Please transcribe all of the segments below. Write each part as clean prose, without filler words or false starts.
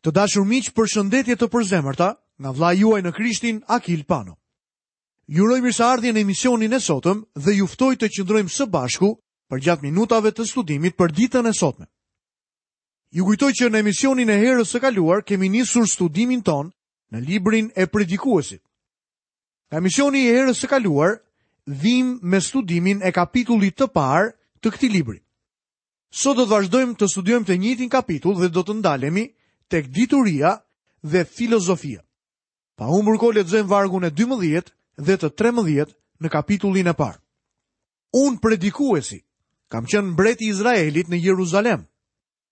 Të dashur miq, përshëndetje të përzemërta nga vëllai juaj në Krishtin, Akil Pano. Ju uroj mirëseardhje në emisionin e sotëm dhe ju ftoj të qëndrojmë së bashku përgjatë minutave të studimit për ditën e sotme. Ju kujtoj që në emisionin e herës së kaluar kemi nisur studimin tonë në librin e Predikuesit. Nga emisioni i herës së kaluar vijmë me studimin e kapitullit të parë të këtij libri. Sot do të vazhdojmë të studiojmë të njëjtin kapitull dhe do të ndalemi tek dituria dhe filozofia. Pa humbur kohë lexojmë vargun e 12 dhe të 13 në kapitullin e parë. Unë predikuesi, kam qenë mbret i Izraelit në Jeruzalem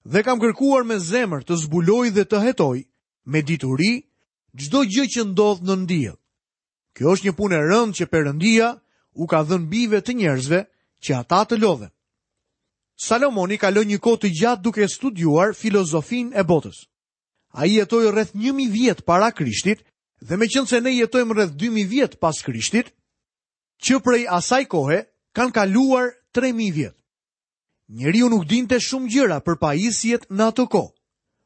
dhe kam kërkuar me zemër të zbuloj dhe të hetoj me dituri çdo gjë që ndodh nën diell. Kjo është një punë e rëndë që Perëndia u ka dhënë bijve të njerëzve që ata të lodhen. Salomoni kaloi një kohë të gjatë duke studiuar filozofinë e botës. Ai jetoi rreth 1000 vjet para Krishtit dhe meqenëse ne jetojmë rreth 2000 vjet pas Krishtit, që prej asaj kohe kanë kaluar 3000 vjet. Njeriu nuk dinte shumë gjëra për pajisjet në atë kohë,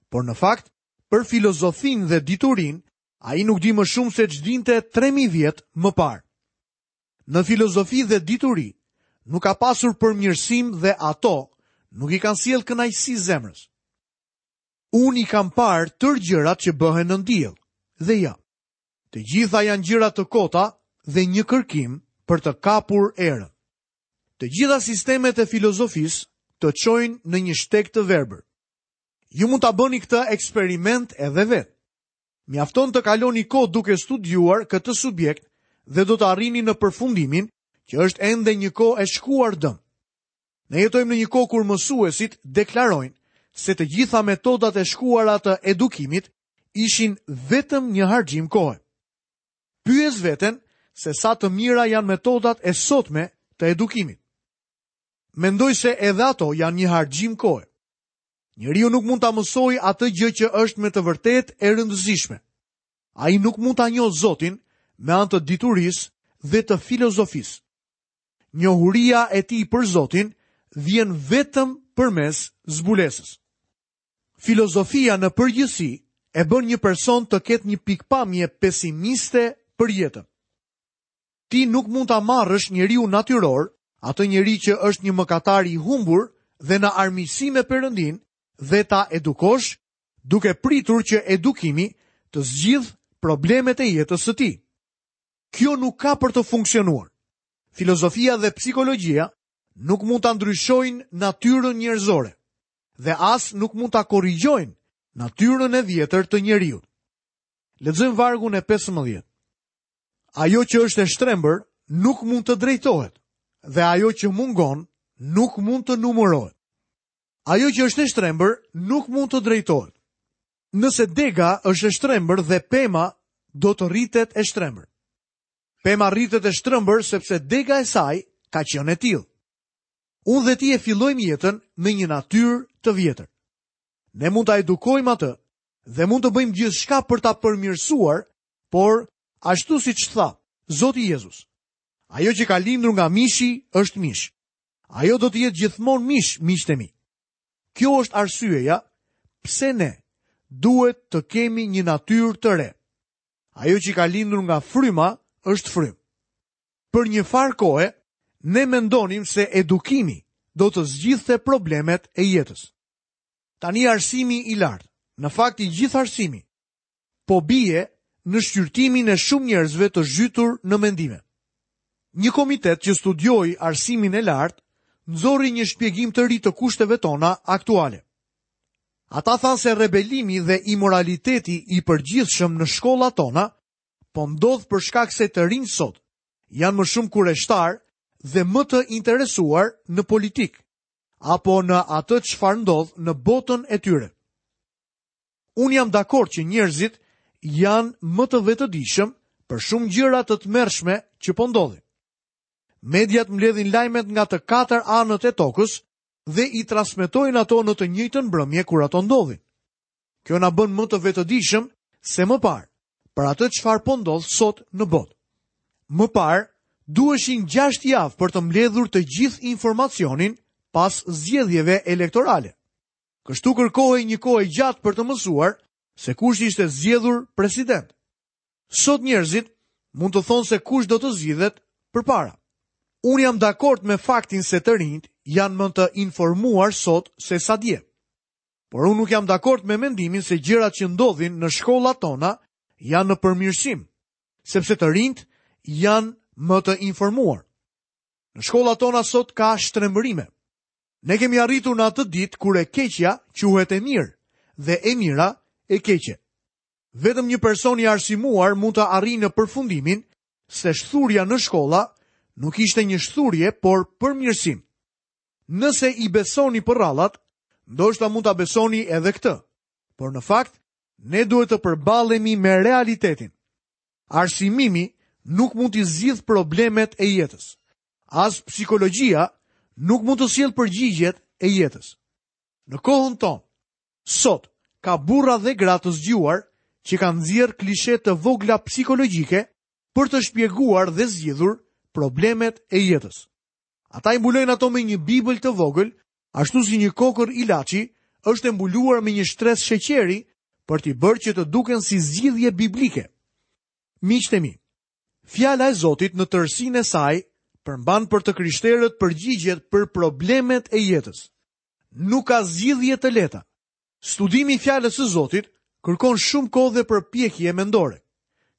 por në fakt për filozofinë dhe diturinë Ai nuk di më shumë se ç'dinte 3000 vjet më parë. Në filozofi dhe dituri nuk ka pasur përmirësim dhe ato nuk i kanë sjellë kënaqësi zemrës. Unë i kam parë tërë gjërat që bëhen nën diell, dhe ja. Të gjitha janë gjëra të kota dhe një kërkim për të kapur erën. Të gjitha sistemet e filozofisë të çojnë në një shteg të verbër. Ju mund ta bëni këtë eksperiment edhe vetë. Mjafton të kaloni kohë duke studiuar këtë subjekt dhe do të arrini në përfundimin që është ende një kohë e shkuar dëm. Ne jetojmë në një kohë kur mësuesit deklarojnë se të gjitha metodat e shkuara të edukimit ishin vetëm një harxhim kohe. Pyes veten se sa të mira janë metodat e sotme të edukimit. Mendoj se edhe ato janë një harxhim kohe. Njeriu nuk mund ta mësojë atë gjë që është me të vërtetë e rëndësishme. Ai nuk mund ta njohë Zotin me anë të diturisë dhe të filozofisë. Njohuria e tij për Zotin vjen vetëm përmes zbulesës. Filozofia në përgjithësi e bën një person të ketë një pikëpamje pesimiste për jetën. Ti nuk mund ta marrësh njeriun natyror, atë njeri që është një mëkatar i humbur dhe në armiqësi me Perëndinë dhe ta edukosh, duke pritur që edukimi të zgjidhë problemet e jetës së tij. Kjo nuk ka për të funksionuar. Filozofia dhe psikologjia nuk mund ta ndryshojnë natyrën njerëzore dhe as nuk mund ta korrigjojnë natyrën e vjetër të njeriut. Lexojmë vargun e 15. Ajo që është e shtrembër nuk mund të drejtohet dhe ajo që mungon nuk mund të numërohet. Ajo që është e shtrembër nuk mund të drejtohet. Nëse dega është e shtrembër dhe pema do të rritet e shtrembër. Pema rritet e shtrembër sepse dega e saj ka qenë e tillë. Unë dhe ti e fillojmë jetën me një natyrë të vjetër. Ne mund ta edukojmë atë dhe mund të bëjmë gjithçka për ta përmirësuar Por, ashtu siç tha Zoti Jezus, ajo që ka lindur nga mishi është mish. Ajo do të jetë gjithmonë mish, miqtë e mi. Kjo është arsyeja pse ne duhet të kemi një natyrë të re. Ajo që ka lindur nga fryma është frymë. Për një farë kohe, ne mendonim se edukimi do të zgjidhte problemet e jetës. Tani arsimi i lartë, në fakt i gjithë arsimi, po bie në shqyrtimin e shumë njerëzve të zhytur në mendime. Një komitet që studioi arsimin e lartë nxori një shpjegim të ri të kushteve tona aktuale. Ata thanë se rebelimi dhe imoraliteti i përgjithshëm në shkollat tona po ndodh për shkak se të rinjtë sot janë më shumë kureshtarë dhe më të interesuar në politikë apo në atë çfarë ndodh në botën e tyre. Unë jam dakord që njerëzit janë më të vetëdijshëm për shumë gjëra të tmerrshme që po ndodhin. Mediat mbledhin lajmet nga të katër anët e tokës dhe i transmetojnë ato në të njëjtën mbrëmje kur ato ndodhin. Kjo na bën më të vetëdijshëm se më parë për atë çfarë po ndodh sot në botë. Më parë duheshin 6 javë për të mbledhur të gjithë informacionin pas zgjedhjeve elektorale. Kështu kërkohej një kohë e gjatë për të mësuar se kush ishte zgjedhur president. Sot njerëzit mund të thonë se kush do të zgjidhet përpara. Unë jam dakord me faktin se të rinjtë janë më të informuar sot se sa dje. Por unë nuk jam dakord me mendimin se gjërat që ndodhin në shkollat tona janë në përmirësim, sepse të rinjtë janë më të informuar. Në shkollat tona sot ka shtrembërime. Ne kemi arritur në atë ditë kur e keqja quhet e mirë dhe e mira e keqe. Vetëm një person i arsimuar mund të arrijë në përfundimin se shthurja në shkolla nuk ishte një shthurje, por përmirësim. Nëse i besoni përrallat, ndoshta mund ta besoni edhe këtë. Por në fakt, ne duhet të përballemi me realitetin. Arsimimi nuk mund t'i zgjidhë problemet e jetës. As psikologjia nuk mund të sjellë përgjigjet e jetës. Në kohën tonë, sot ka burra dhe gra të zgjuar që kanë nxjerrë klishe të vogla psikologjike për të shpjeguar dhe zgjidhur problemet e jetës. Ata i mbulojnë ato me një Bibël të vogël, ashtu si një kokërr ilaçi është e mbuluar me një shtresë sheqeri për t'i bërë që të duken si zgjidhje biblike. Miqtë e mi, fjala e Zotit në tërësinë e saj përmban për të krishterët përgjigjet për problemet e jetës. Nuk ka zgjidhje të lehta. Studimi i fjalës së Zotit kërkon shumë kohë dhe përpjekje mendore.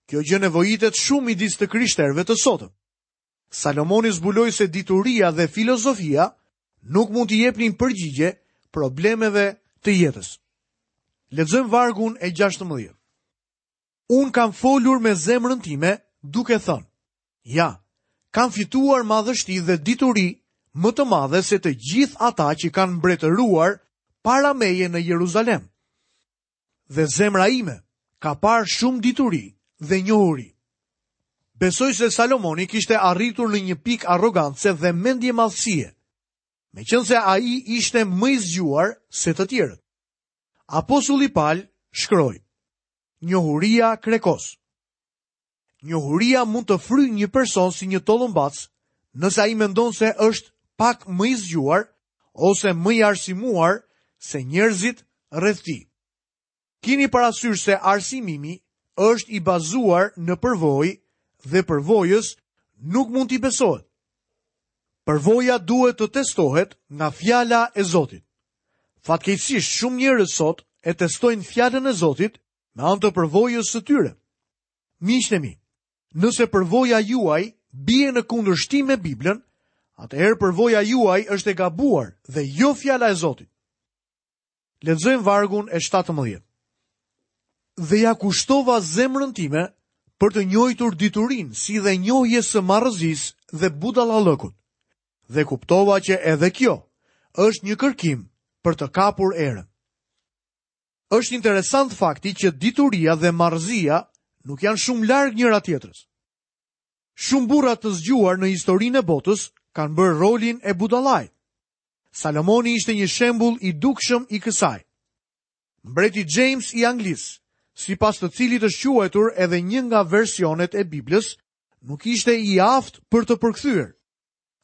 Kjo gjë nevojitet shumë midis të krishterëve të sotëm. Salomoni zbuloi se dituria dhe filozofia nuk mund t'i jepnin përgjigje problemeve të jetës. Lexojmë vargun e 16. Unë kam folur me zemrën time duke thënë, ja, kam fituar madhështi dhe dituri më të madhe se të gjithë ata që kanë mbretëruar para meje në Jeruzalem. Dhe zemra ime ka parë shumë dituri dhe njohuri. Besoj se Salomoni kishte arritur në një pikë arrogance dhe mendjemadhësie, meqenëse ai ishte më i zgjuar se të tjerët. Apostulli Pal shkroi, Njohuria krekos. Njohuria mund të fryjë një person si një tollumbac, nëse ai mendon se është pak më i zgjuar ose më i arsimuar se njerëzit rreth tij. Kini parasysh se arsimimi është i bazuar në përvojë dhe përvojës nuk mund t'i besohet. Përvoja duhet të testohet nga fjala e Zotit. Fatkeqësisht shumë njerëz sot e testojnë fjalën e Zotit me anë të përvojës së tyre. Miqtë e mi, nëse përvoja juaj bie në kundërshtim me Biblën, atëherë përvoja juaj është e gabuar dhe jo fjala e Zotit. Lexojmë vargun e 17. Dhe ia kushtova zemrën time për të njohur diturinë, si dhe njohjes së marrëzisë dhe budallallëkut. Dhe kuptova që edhe kjo është një kërkim për të kapur erën. Është interesant fakti që dituria dhe marrëzia nuk janë shumë larg njëra tjetrës. Shumë burra të zgjuar në historinë e botës kanë bërë rolin e budallait. Salomoni ishte një shembull i dukshëm i kësaj. Mbreti James i Anglisë, sipas të cilit është quajtur edhe një nga versionet e Biblës, nuk ishte i aftë për të përkthyer.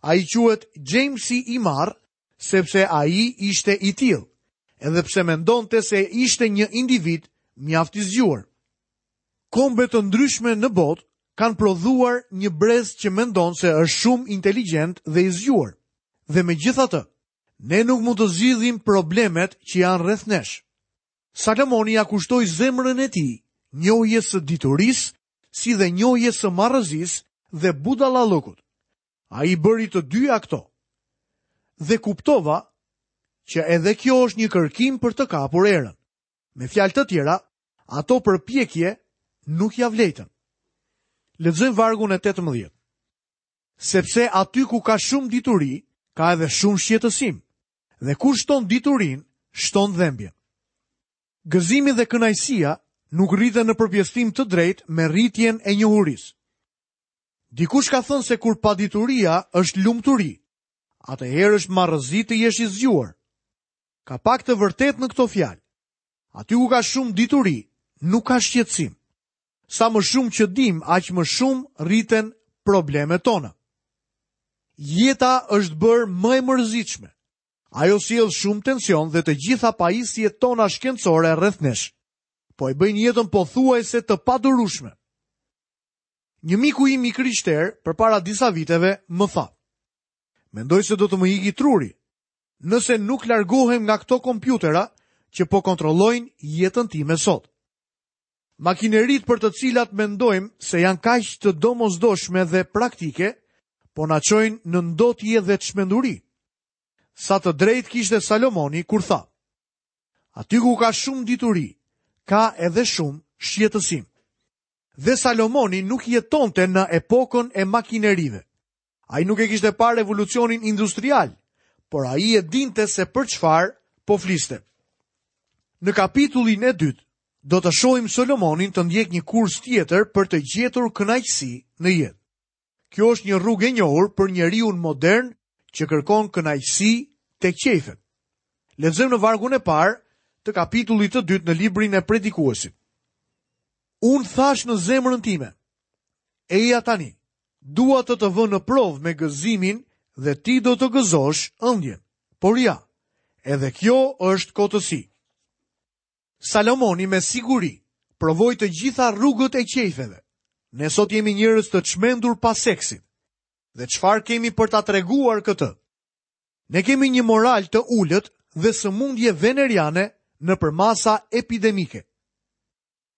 Ai quhet Jamesi i marrë, sepse ai ishte i tillë, edhe pse mendonte se ishte një individ mjaft i zgjuar. Kombe të ndryshme në botë kanë prodhuar një brez që mendon se është shumë inteligjent dhe i zgjuar. Dhe megjithatë, ne nuk mund të zgjidhim problemet që janë rreth nesh. Salomoni ia kushtoi zemrën e tij njohjes së diturisë, si dhe njohjes së marrëzisë dhe budallallëkut. Ai bëri të dyja këto. Dhe kuptova që edhe kjo është një kërkim për të kapur erën. Me fjalë të tjera, ato përpjekje nuk ia vlejtën. Lexojmë vargun e 18. Sepse aty ku ka shumë dituri, ka edhe shumë shqetësim. Dhe kush shton diturinë, shton dhembjen. Gëzimi dhe kënaqësia nuk rriten në përpjesëtim të drejtë me rritjen e njohurisë. Dikush ka thënë se kur padituria është lumturi, atëherë është marrëzi të jesh i zgjuar. Ka pak të vërtetë në këto fjalë. Aty ku ka shumë dituri, nuk ka shqetësim. Sa më shumë që dimë, aq më shumë rriten problemet tona. Jeta është bërë më e mërzitshme. Ajo sjell shumë tension dhe të gjitha pajisjet tona shkencore rreth nesh. Po e bëjnë jetën pothuajse të padurueshme. Një miku im i krishterë përpara disa viteve më tha: Mendoj se do të më iki truri, nëse nuk largohem nga këto kompjutera që po kontrollojnë jetën time sot. Makineritë për të cilat mendojmë se janë kaq të domosdoshme dhe praktike, po na çojnë në ndotje dhe çmenduri. Sa të drejtë kishte Salomoni kur tha: Aty ku ka shumë dituri, ka edhe shumë shqetësim. Dhe Salomoni nuk jetonte në epokën e makinerive. Ai nuk e kishte parë revolucionin industrial, por ai e dinte se për çfarë po fliste. Në kapitullin e dytë, do të shohim Solomonin të ndjekë një kurs tjetër për të gjetur kënaqësi në jetë. Kjo është një rrugë e njohur për njeriun modern që kërkon kënaqësi tek qejfet. Lexojmë në vargun e parë të kapitullit të dytë në librin e Predikuesit. Unë thashë në zemrën time, eja tani, dua të të vë në provë me gëzimin dhe ti do të gëzosh ëndjen. Por ja, edhe kjo është kotësi. Salomoni me siguri provoi të gjitha rrugët e qejfeve. Ne sot jemi njerëz të çmendur pas seksit. Dhe çfarë kemi për ta treguar këtë? Ne kemi një moral të ulët dhe sëmundje veneriane në përmasa epidemike.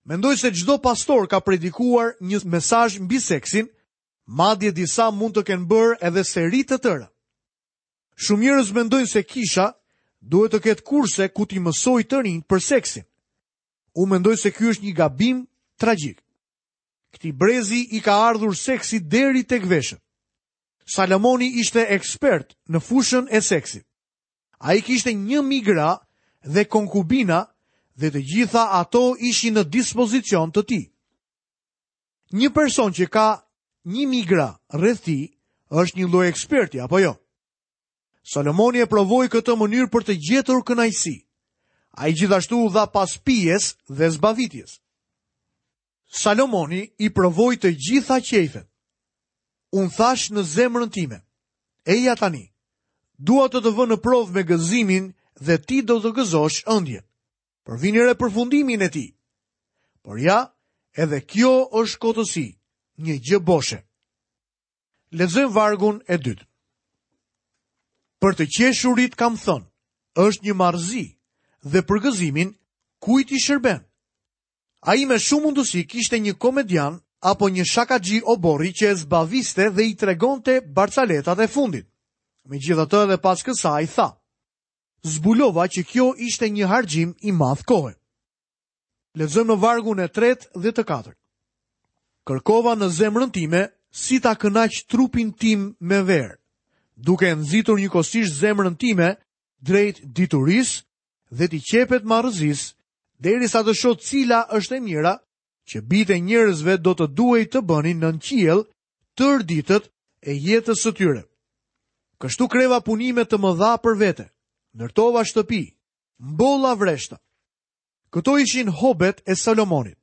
Mendoj se çdo pastor ka predikuar një mesazh mbi seksin, madje disa mund të kenë bërë edhe seri të tëra. Shumë njerëz mendojnë se kisha duhet të ketë kurse ku t'i mësojë të rinjtë për seksin. Unë mendoj se ky është një gabim tragjik. Këtij brezi i ka ardhur seksi deri tek veshët. Salomoni ishte ekspert në fushën e seksit. Ai kishte 1000 gra dhe konkubina dhe të gjitha ato ishin në dispozicion të tij. Një person që ka 1000 gra rreth tij është një lloj eksperti apo jo? Salomoni e provoi këtë mënyrë për të gjetur kënaqësi. Ai gjithashtu u dha pas pijes dhe zbavitjes. Salomoni i provoi të gjitha qejfet. Unë thashë në zemrën time, eja tani, dua të të vë në provë me gëzimin dhe ti do të gëzosh ëndjen. Por vini re përfundimin e tij. Por ja, edhe kjo është kotësi, një gjë boshe. Lexojmë vargun e dytë. Për të qeshurit kam thënë, është një marrëzi dhe për gëzimin kujt i shërben. Ai me shumë mundësi kishte një komedian apo një shakaxhi oborri që e zbaviste dhe i tregonte barcaletat e fundit. Megjithatë edhe pas kësaj tha: Zbulova që kjo ishte një harxhim i madh kohe. Lexojmë në vargun e tretë dhe të katërt. Kërkova në zemrën time si ta kënaq trupin tim me verë, duke e nxitur njëkohësisht zemrën time drejt diturisë dhe t'i qepet marrëzisë, derisa të shoh cila është e mira që bijtë e njerëzve do të duhej të bënin nën qiell tërë ditët e jetës së tyre. Kështu kreva punime të mëdha për vete, ndërtova shtëpi, mbolla vreshta. Këto ishin hobet e Salomonit.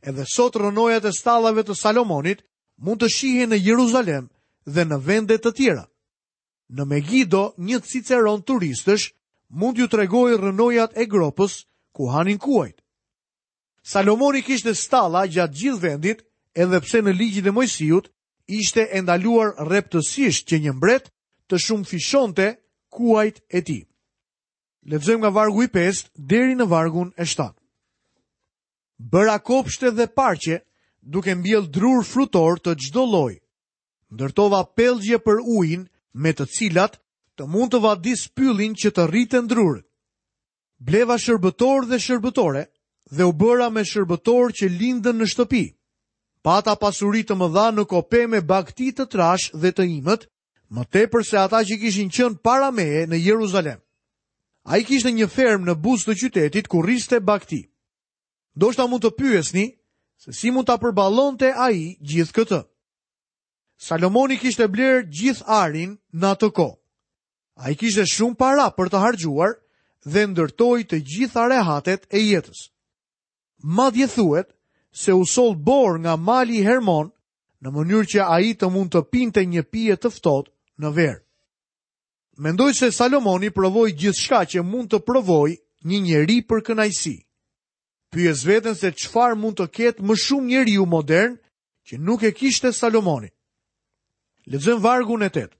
Edhe sot rrënojat e stallave të Salomonit mund të shihen në Jeruzalem dhe në vende të tjera. Në Megido, një ciceron turistësh mund t'ju tregojë rrënojat e gropës ku hanin kuajt. Salomoni kishte stalla gjatë gjithë vendit, edhe pse në ligjin e Moisiut ishte e ndaluar rreptësisht që një mbret të shumëfishonte kuajt e tij. Lexojmë nga vargu i 5 deri në vargun e 7. Bëra kopshte dhe parqe, duke mbjellë drurë frutorë të çdo lloji. Ndërtova pellgje për ujin me të cilat të mund të vadis pyllin që të rriten drurët. Bleva shërbëtorë dhe shërbëtore dhe u bëra me shërbëtorë që lindën në shtëpi. Pata pasuri të mëdha në kope me bagëti të trashë dhe të imët, më tepër se ata që kishin qenë para meje në Jeruzalem. Ai kishte një fermë në buzë të qytetit ku rriste bagëti. Ndoshta mund të pyesni se si mund ta përballonte ai gjithë këtë. Salomoni kishte blerë gjithë arin në atë kohë. Ai kishte shumë para për të harxhuar dhe ndërtoi të gjitha rehatet e jetës. Madje thuhet se u soll borë nga mali Hermon në mënyrë që ai të mund të pinte një pije të ftohtë në verë. Mendoj se Salomoni provoi gjithçka që mund të provojë një njeri për kënaqësi. Pyes veten se çfarë mund të ketë më shumë njeriu modern që nuk e kishte Salomoni. Lexojmë vargun e 8.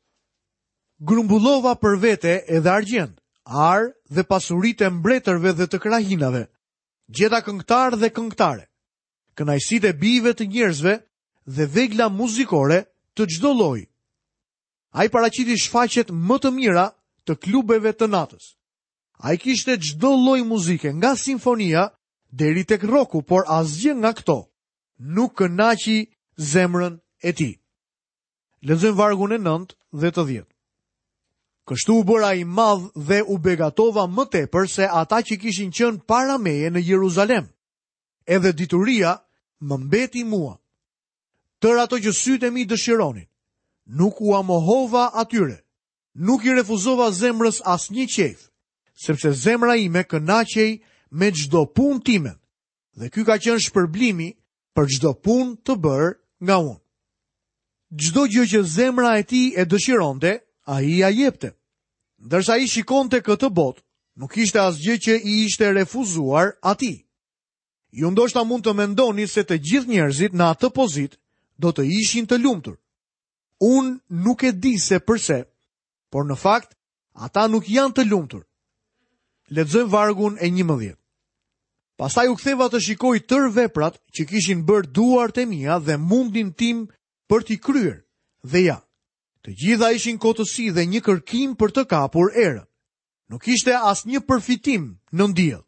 Grumbullova për vete edhe argjend, ar dhe pasuritë e mbretërve dhe të krahinave. Gjeta këngëtarë dhe këngëtare. Kënaqësitë e bijve të njerëzve dhe vegla muzikore të çdo lloji. Ai paraqiti shfaqjet më të mira të klubeve të natës. Ai kishte çdo lloj muzike, nga simfonia deri tek rroku, por asgjë nga këto nuk kënaqi zemrën e tij. Lexojmë vargun e 9 dhe të 10. Kështu u bëra i madh dhe u begatova më tepër se ata që kishin qenë para meje në Jeruzalem. Edhe dituria më mbeti mua. Tërë ato që sytë e mi dëshironin, nuk ua mohova atyre. Nuk i refuzova zemrës asnjë qejf, sepse zemra ime kënaqej me çdo punë timen. Dhe ky ka qenë shpërblimi për çdo punë të bërë nga unë. Çdo gjë që zemra e tij e dëshironte, ai ia jepte. Ndërsa ai shikonte këtë botë, nuk ishte asgjë që i ishte refuzuar atij. Ju ndoshta mund të mendoni se të gjithë njerëzit në atë pozitë do të ishin të lumtur. Unë nuk e di se përse, por në fakt ata nuk janë të lumtur. Lexojmë vargun e 11. Pastaj u ktheva të shikoj tërë veprat që kishin bërë duart e mia dhe mundin tim për t'i kryer. Dhe ja, të gjitha ishin kotësi dhe një kërkim për të kapur erën. Nuk ishte asnjë përfitim nën diell.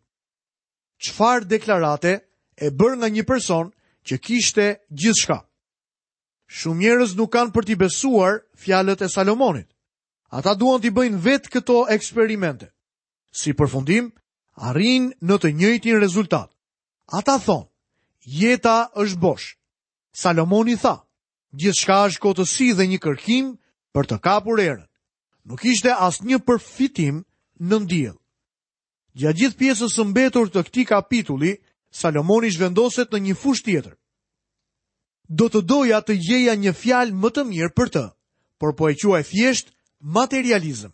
Çfarë deklarate e bërë nga një person që kishte gjithçka. Shumë njerëz nuk kanë për t'i besuar fjalët e Salomonit. Ata duan t'i bëjnë vetë këto eksperimente. Si përfundim, arrijnë në të njëjtin rezultat. Ata thonë, jeta është bosh. Salomoni tha, gjithçka është kotësi dhe një kërkim për të kapur erën. Nuk ishte asnjë përfitim nën diell. Gjatë gjithë pjesës së mbetur të këtij kapitulli, Salomoni zhvendoset në një fushë tjetër. Do të doja të gjeja një fjalë më të mirë për të, por po e quaj thjesht materializëm.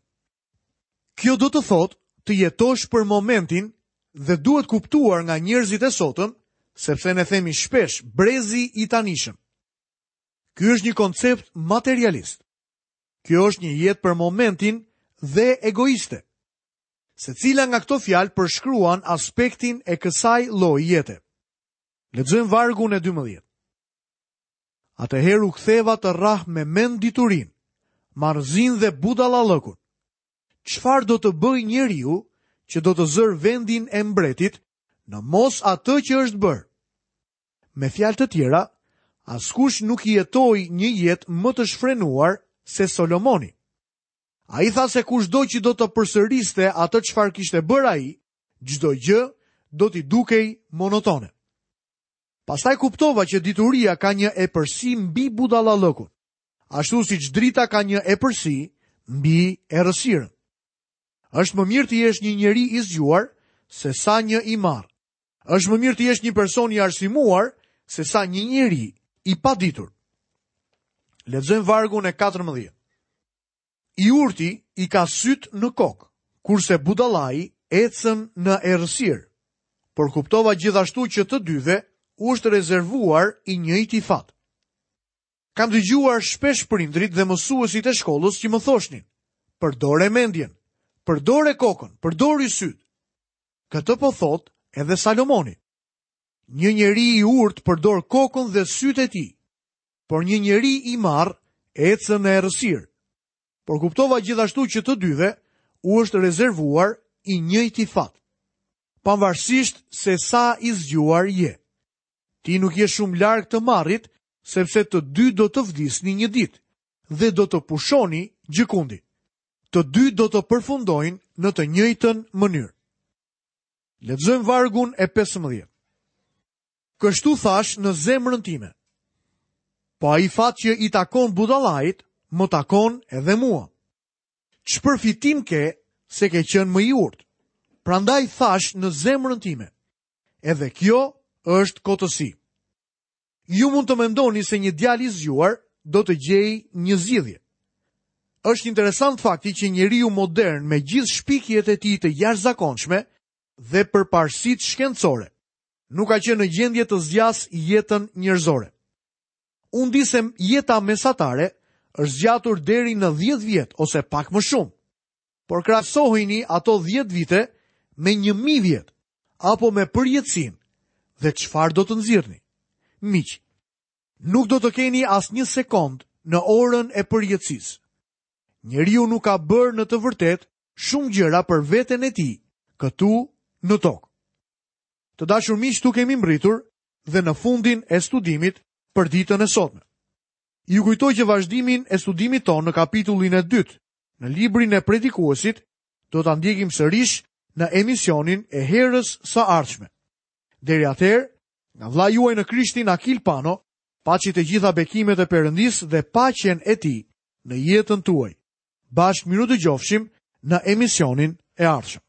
Kjo do të thotë të jetosh për momentin dhe duhet kuptuar nga njerëzit e sotëm, sepse ne themi shpesh brezi i tanishëm. Ky është një koncept materialist. Kjo është një jetë për momentin dhe egoiste. Secila nga këto fjalë përshkruan aspektin e kësaj lloji jete. Lexojmë vargun e 12. Atëherë u ktheva të rrah me mend diturinë, marrëzinë dhe budallallëkun. Çfarë do të bëjë njeriu që do të zërë vendin e mbretit në mos atë që është bërë? Me fjalë të tjera, askush nuk jetoi një jetë më të shfrenuar se Solomoni. Ai tha se kushdo që do të përsëriste atë çfarë kishte bërë ai, çdo gjë do t'i dukej monotone. Pastaj kuptova që dituria ka një epërsi mbi budallallëkun, ashtu siç drita ka një epërsi mbi errësirën. Është më mirë të jesh një njeri i zgjuar se sa një i marrë. Është më mirë të jesh një person i arsimuar se sa një njeri i paditur. Lexojmë vargun e 14. I urti i ka sytë në kokë, kurse budallai ecën në errësirë. Por kuptova gjithashtu që të dyve u është rezervuar i njëjti fat. Kam dëgjuar shpesh prindërit dhe mësuesit e shkollës që më thoshnin, përdore mendjen, përdore kokën, përdori sytë. Këtë po thotë edhe Salomoni. Një njeri i urtë përdor kokën dhe sytë e tij, por një njeri i marrë ecën në errësirë. Por kuptova gjithashtu që të dyve u është rezervuar i njëjti fat. Pavarësisht se sa i zgjuar je. Ti nuk je shumë larg të marrit, sepse të dy do të vdisni një ditë dhe do të pushoni gjëkundi. Të dy do të përfundojnë në të njëjtën mënyrë. Lexojmë vargun e 15. Kështu thashë në zemrën time. Po ai fat që i takon budallait, më takon edhe mua. Ç'përfitim ke se ke qenë më i urtë? Prandaj thashë në zemrën time. Edhe kjo është kotësi. Ju mund të mendoni se një djalë i zgjuar do të gjejë një zgjidhje. Është interesant fakti që njeriu modern me gjithë shpikjet e tij të jashtëzakonshme dhe përparësitë shkencore. Nuk ka qenë në gjendje të zgjasë jetën njerëzore. Unë di se jeta mesatare është zgjatur deri në 10 vjet ose pak më shumë. Por krahasojini ato 10 vite me 1000 vjet apo me përjetësinë dhe çfarë do të nxirrni? Miq, nuk do të keni asnjë sekondë në orën e përjetësisë. Njeriu nuk ka bërë në të vërtetë shumë gjëra për veten e tij këtu në tokë. Të dashur miq, këtu kemi mbërritur dhe në fundin e studimit për ditën e sotme. Ju kujtoj që vazhdimin e studimit tonë në kapitullin e dytë, në librin e predikuesit, do ta ndjekim sërish në emisionin e herës së ardhshme. Deri atëherë, nga vëllai juaj në Krishtin Akil Pano, paçi të gjitha bekimet e Perëndisë dhe paqen e tij në jetën tuaj. Bashkë mirudëgjofshim në emisionin e ardhshëm.